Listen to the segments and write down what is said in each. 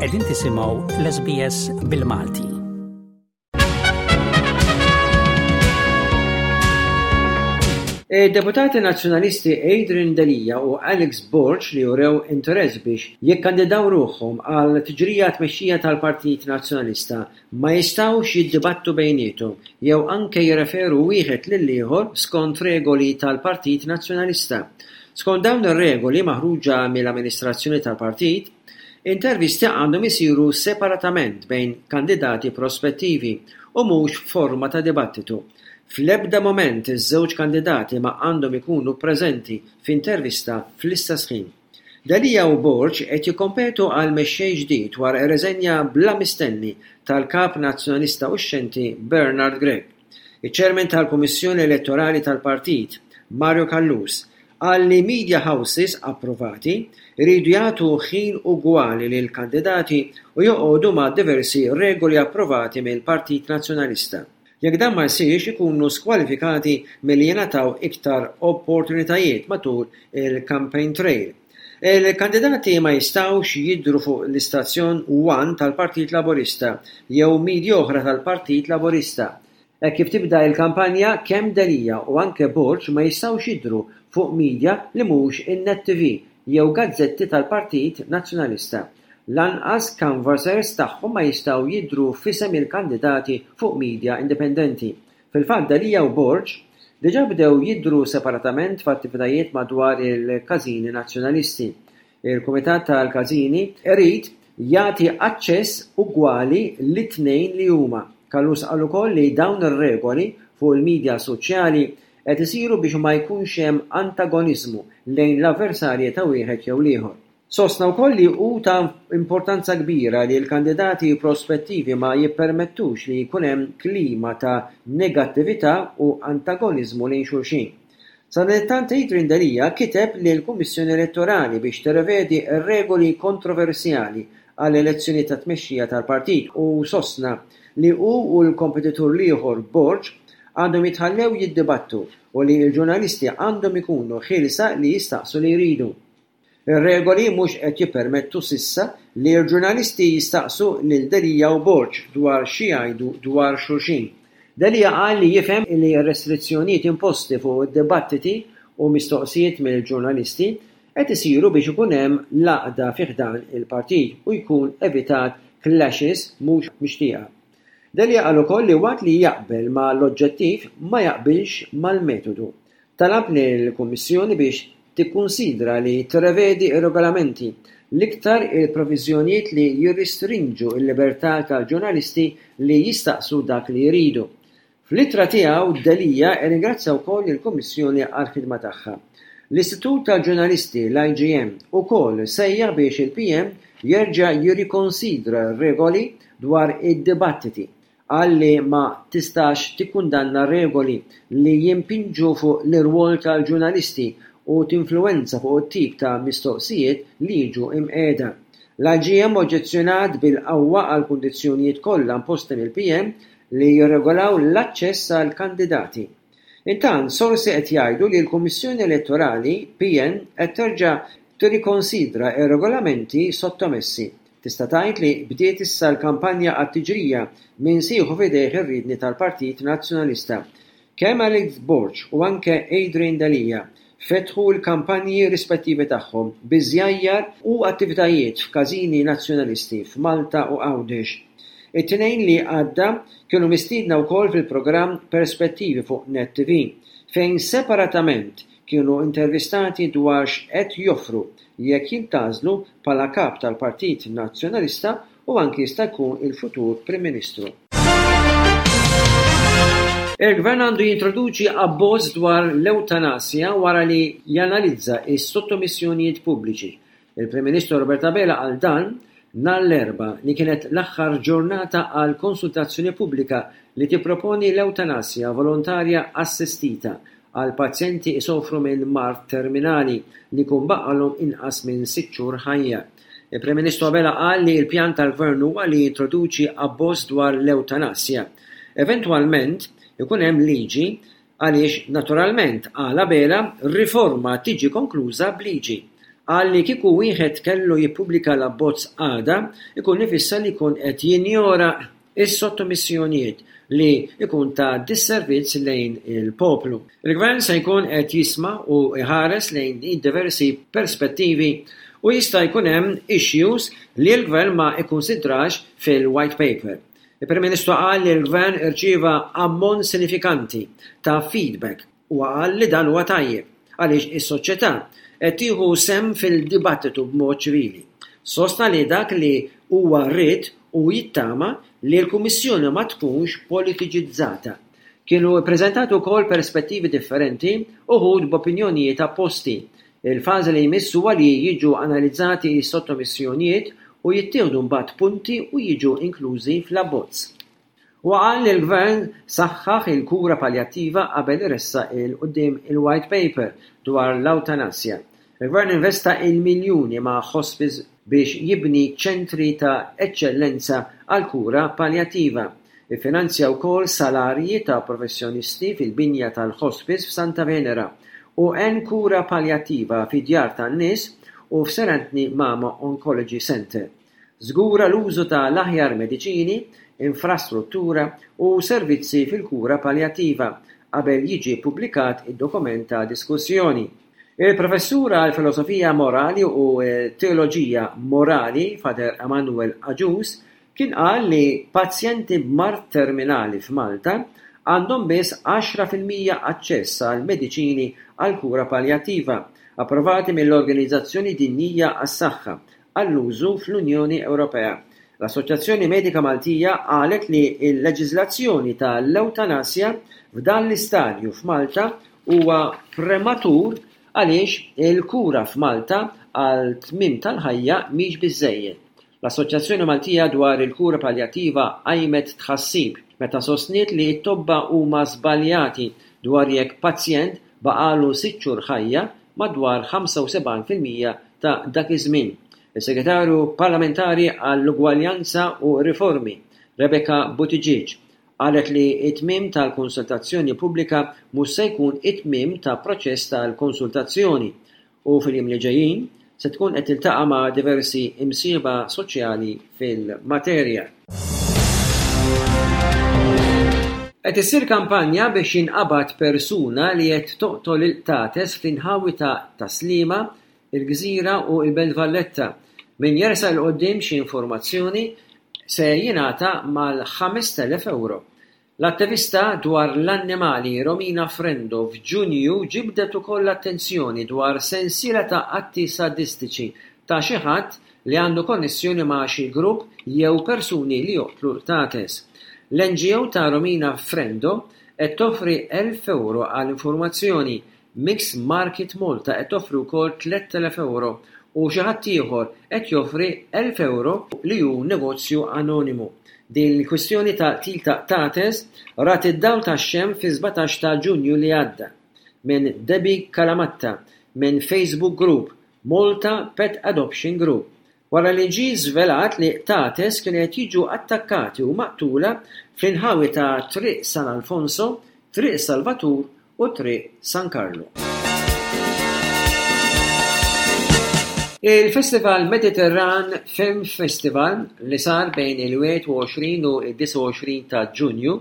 Qegħdin tisimgħu l-SBS bil-Malti. Id-deputati Nazzjonalisti Adrian Delia u Alex Borg li urew interess biex jikkandidaw ruħhom għal tiġrija għat-tmexxija tal-Partit Nazzjonalista ma jistgħux jiddibattu bejniethom jew anke jirreferu wieħed lill-ieħor skont regoli tal-Partit Nazzjonalista. Skont dawn ir-regoli maħruġa mill-amministrazzjoni tal-partit, intervisti għandhom isiru separatament bejn kandidati prospettivi u mhux f'forma ta' dibattitu. Fl-ebda mument iż-żewġ kandidati ma għandhom ikunu preżenti f'intervista fl-istess ħin. Delia u Borg qed jikkompetu għal mexxej ġdid wara r-reżenja bla mistenni tal-Kap Nazzjonalista uxxenti Bernard Grech. Iċ-Chairman tal-Kummissjoni Elettorali tal-Partit, Mario Callus, qal li media houses approvati jridu jagħtu ħin ugwali lill-kandidati u joqogħdu ma' diversi regoli approvati mill-Partit Nazzjonalista. Jekk dan ma jsirx ikunu skwalifikati milli jingħataw iktar opportunitajiet matul il-campaign trail. Il-kandidati ma jistgħux jidhru fuq l-istazzjon One tal-Partit Laburista jew media oħra tal-Partit Laburista. Hekk kif tibda il-kampanja kemm Delia u anke Borg ma jistgħux jidhru fuq media li mhux in-Net TV jew gazzetti tal-Partit Nazzjonalista. Lanqas canvassers tagħhom ma jistgħu jidhru f'isem il-kandidati fuq media indipendenti. Fil-fatt Delia u Borg diġà bdew jidhru separatament f'attivitajiet madwar il-każini Nazzjonalisti. Il-Kumitat tal-Każini irid jagħti aċċess ugwali lit-tnejn li huma. Callus qal ukoll li dawn ir-regoli fuq il-media soċjali qed isiru biex ma jkunx hemm antagoniżmu lejn l-avversarji ta' wieħed jew l-ieħor. Sostna wkoll li hu ta' importanza kbira li l-kandidati prospettivi ma jippermettux li jkun hemm klima ta' negattività u antagoniżmu lejn xulxin. Sadanittant Adrian Delia kiteb lill-Kummissjoni Elettorali biex tirrevedi r-regoli kontroversjali għall-elezzjonijiet tat-tmexxija tal-partit u sostna li hu u l-kompetitur l-ieħor Borg għandhom jitħallew jiddibattu u li l-ġurnalisti għandhom ikunu ħielsa li jistaqsu li jridu. Ir-regoli mhux qed jippermettu s'issa li l-ġurnalisti jistaqsu lil Delia u Borg dwar xi jgħidu dwar xulxin. Delia qal li jifhem li r-restrizzjonijiet imposti fuq id-dibattiti u mistoqsijiet mill-ġurnalisti qed isiru biex ikun hemm l-għaqda fi ħdan il-partit u jkun evitat clashes mhux mixtieqa. Delia qal ukoll li waqt li jaqbel ma' l-oġġettiv ma jaqbilx mal-metodu. Talab lill-Kummissjoni biex tikkunsidra li tirrevedi r-regolamenti, l-iktar il-proviżjonijiet li jirristrinġu l-libertà tal-ġurnalisti li jistaqsu dak li jridu. Fl-ittra tiegħu Delia rringrazzja wkoll lill-Kummissjoni għall-ħidma tagħha. L-Istitut tal-Ġurnalisti, l-IGM, ukoll sejjaħ biex il-PM jerġa' jirrikonsidra r-regoli dwar id-dibattiti Qal li ma tistax tikkundanna regoli li jimpinġu fuq l-irwol tal-ġurnalisti u tinfluwenza fuq it-tip ta' mistoqsijiet li jiġu imqiegħda. L-IGM oġġezzjonat bil-qawwa għall-kundizzjonijiet kollha imposti mill-PM li jirregolaw l-aċċess għall-kandidati. Intant, sorsi qed jgħidu li l-Kummissjoni Elettorali, PN, qed terġa' tirrikonsidra r-regolamenti sottomessi. Tista' tgħid li bdiet issa l-kampanja għat-tiġrija min se jieħu f'idejh ir-riedni tal-Partit Nazzjonalista. Kemm Alex Borg u anke Adrian Delia fetħu l-kampanji rispettivi tagħhom bi żjajjar u attivitajiet f'każini Nazzjonalisti f'Malta u Għawdex. It-Tnejn li għadda kienu mistiedna wkoll fil-programm Perspettivi fuq Net TV, fejn separatament kienu intervistati dwar x'qed joffru jekk jintgħażlu bħala Kap tal-Partit Nazzjonalista u anki jista' jkun il-futur Prim Ministru. Il-Gvern għandu jintroduċi abbozz dwar l-ewtanasja wara li janalizza s-sottomissjonijiet pubbliċi. Il-Prim Ministru Robert Abela qal dan nhar l-Erbgħa li kienet l-aħħar ġurnata għal konsultazzjoni pubblika li tipproponi l-ewtanasja volontarja assistita għal pazjenti isofru minn mard terminali li jkun baqgħalhom inqas minn sitt xhur ħajja. Il-Prim Ministru Abela qal li l-pjan tal-Gvern huwa li jintroduċi abbozz dwar l-ewtanasja. Eventwalment, ikun hemm liġi għaliex naturalment, qal Abela, riforma tiġi konkluża b'liġi. Qal li kieku wieħed kellu jippubblika l-abbozz għada, ikun ifisser li jkun qed jinjora s-sottomissjonijiet li jkun ta' disservizz lejn il-poplu. Il-Gvern se jkun qed jisma' u jħares lejn id-diversi perspettivi u jista' jkun hemm issues li l-Gvern ma kkunsidrax fil-White Paper. Il-Prim Ministru qal li l-Gvern irċieva ammont sinifikanti ta' feedback. Huwa qal li dan huwa tajjeb għaliex is-soċjetà qed tieħu sehem fil-dibattitu b'mod ċivili. Sostna li dak li huwa ried u jittama li l-Kummissjoni ma tkunx politiċizzata. Kienu ppreżentati wkoll perspettivi differenti, uħud b'opinjonijiet apposti. Il-fażi li jmiss huwa li jiġu analizzati s-sottomissjonijiet u jittieħdu mbagħad punti u jiġu inklużi fl-abbozz. Huwa qal li l-Gvern saħħaħ il-kura paljattiva qabel iressaq 'il quddiem il-White Paper dwar l-awtanasja. Il-Gvern investa il-miljuni ma' hospice biex jibni ċentri ta' eċċellenza għall-kura paljattiva. Iffinanzja wkoll salarji ta' professjonisti fil-binja tal-hospice f'Santa Venera u għen kura paljattiva fi djar tan-nies u f'Sir Anthony Mamo Oncology Centre. Żgura l-użu ta' l-aħjar mediċini, infrastruttura u servizzi fil-kura paljattiva qabel jiġi ppubblikat id-dokument ta' diskussjoni. Il-Professur għall-Filosofija Morali u Teoloġija Morali, Father Emmanuel Agius, kien qal li pazjenti b'mard terminali f'Malta għandhom biss 10% aċċess għal mediċini għall-kura paljattiva approvati mill-Organizzazzjoni Dinjija għas-Saħħa għall-użu fl-Unjoni Ewropea. L-Assoċjazzjoni Medika Maltija qalet li l-leġiżlazzjoni ta' l-ewtanasja f'dan l-istadju f'Malta huwa prematur għaliex il-kura f'Malta għal tmiem tal-ħajja mhix biżżejjed. L-Assoċjazzjoni Maltija dwar il-Kura Paljattiva qajmet tħassib meta sostniet li t-tobba huma żbaljati dwar jekk pazjent baqagħlu sitt xhur ħajja madwar 75% ta' dak iż-żmien. Is-Segretarju Parlamentari għall-Ugwaljanza u r-Riformi, Rebecca Buttigieg, qalet li t-tmiem tal-konsultazzjoni pubblika mhux se jkun it-tmiem ta' proċess tal-konsultazzjoni u fil-jiem li ġejjin se tkun qed tiltaqa' ma' diversi imsieħba soċjali fil-materja. Qed issir kampanja biex jinqabad persuna li qed toqtol il-qtates fl-inħawi ta' Tas-Sliema, il-Gżira u l-Belt Valletta. Min jersaq 'il quddiem xi informazzjoni se jingħata mal-5,000 ewro. L-attivista dwar l-annimali Romina Frendo f'Ġunju ġibdet ukoll l-attenzjoni dwar sensiela ta' atti sadistiċi ta' xi ħadd li għandu konnessjoni ma' xi grupp jew persuni li joqtlu l-qtates. L-NGO ta' Romina Frendo qed toffri 1,000 ewro għal informazzjoni Mix Market Malta qed toffri wkoll 3,000 ewro u xi ħadd ieħor qed joffri 1,000 ewro li hu negozju anonimu. Din il-kwistjoni ta' qtil ta' qtates rat id-dawl tax-xemx fis-17 ta' Ġunju li għadda minn Debbie Calamatta minn Facebook Group Malta Pet Adoption Group wara li ġie żvelat li qtates kienu qed jiġu attakkati u maqtula fl-inħawi ta' Triq San Alfonso, Triq Salvatur u Triq San Karlu. Il-Festival Mediterran Film Festival li sar bejn il-21 u d-29 ta' Ġunju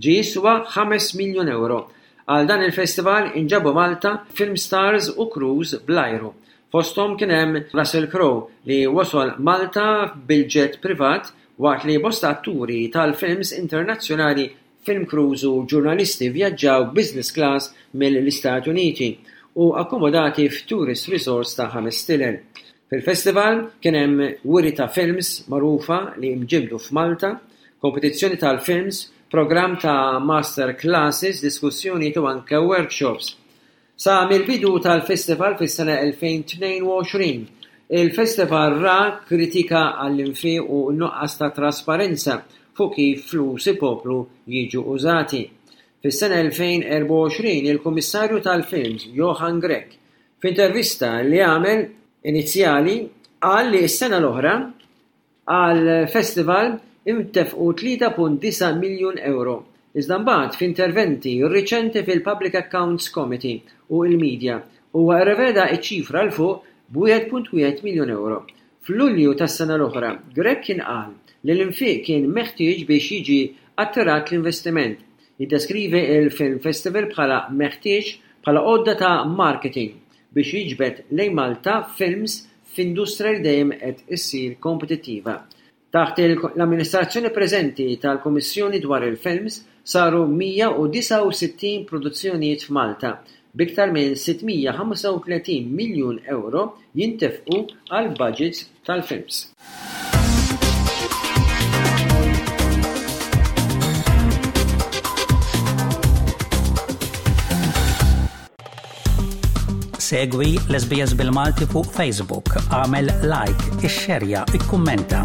ġie jiswa ħames miljun ewro. Għal dan il-festival inġabu Malta film stars u crews bl-ajru. Fosthom kien hemm Russell Crowe li wasol Malta bil-jet privat waqt li bosta atturi tal-films internazzjonali, film crews u ġurnalisti vvjaġġaw business class mill-Istati Uniti u akkomodati f'tourist resorts ta' ħames stilel. Fil-festival kien hemm wiri ta' films magħrufa li mġibbdu f'Malta, kompetizzjoni tal-films, programm ta' master classes, diskussjonijiet u anke workshops. Sa mill-bidu tal-festival fis-sena 2022, il-festival ra kritika għall-infiq u n-nuqqas ta' trasparenza fuq kif flus il-poplu jiġu użati. Fis-sena 2024, il-Kummissarju tal-Films Johann Grech, f'intervista li għamel inizjali qal li s-sena l-oħra, Għall-festival intefqu 3.9 miljun ewro, iżda mbagħad f'interventi riċenti fil-Public Accounts Committee u l-media, huwa rreveda ċ-ċifra 'l fuq b'1.1 miljun ewro. F'Lulju tas-sena l-oħra, Grech kien qal li l-infiq kien meħtieġ biex jiġi attirat l-investiment. Jiddeskrivi l-Film Festival bħala meħtieġ bħala għodda ta' marketing biex jiġbed lejn Malta films f'industrija li dejjem qed issir kompetittiva. Taħt l-amministrazzjoni preżenti tal-Kummissjoni dwar il-Films saru 169 produzzjonijiet f'Malta, b'iktar minn 635 miljun ewro jintefqu għall-baġits tal-films. Segwi l-SBS bil-Malti fuq Facebook, għamel like, ixxerja, ikkummenta.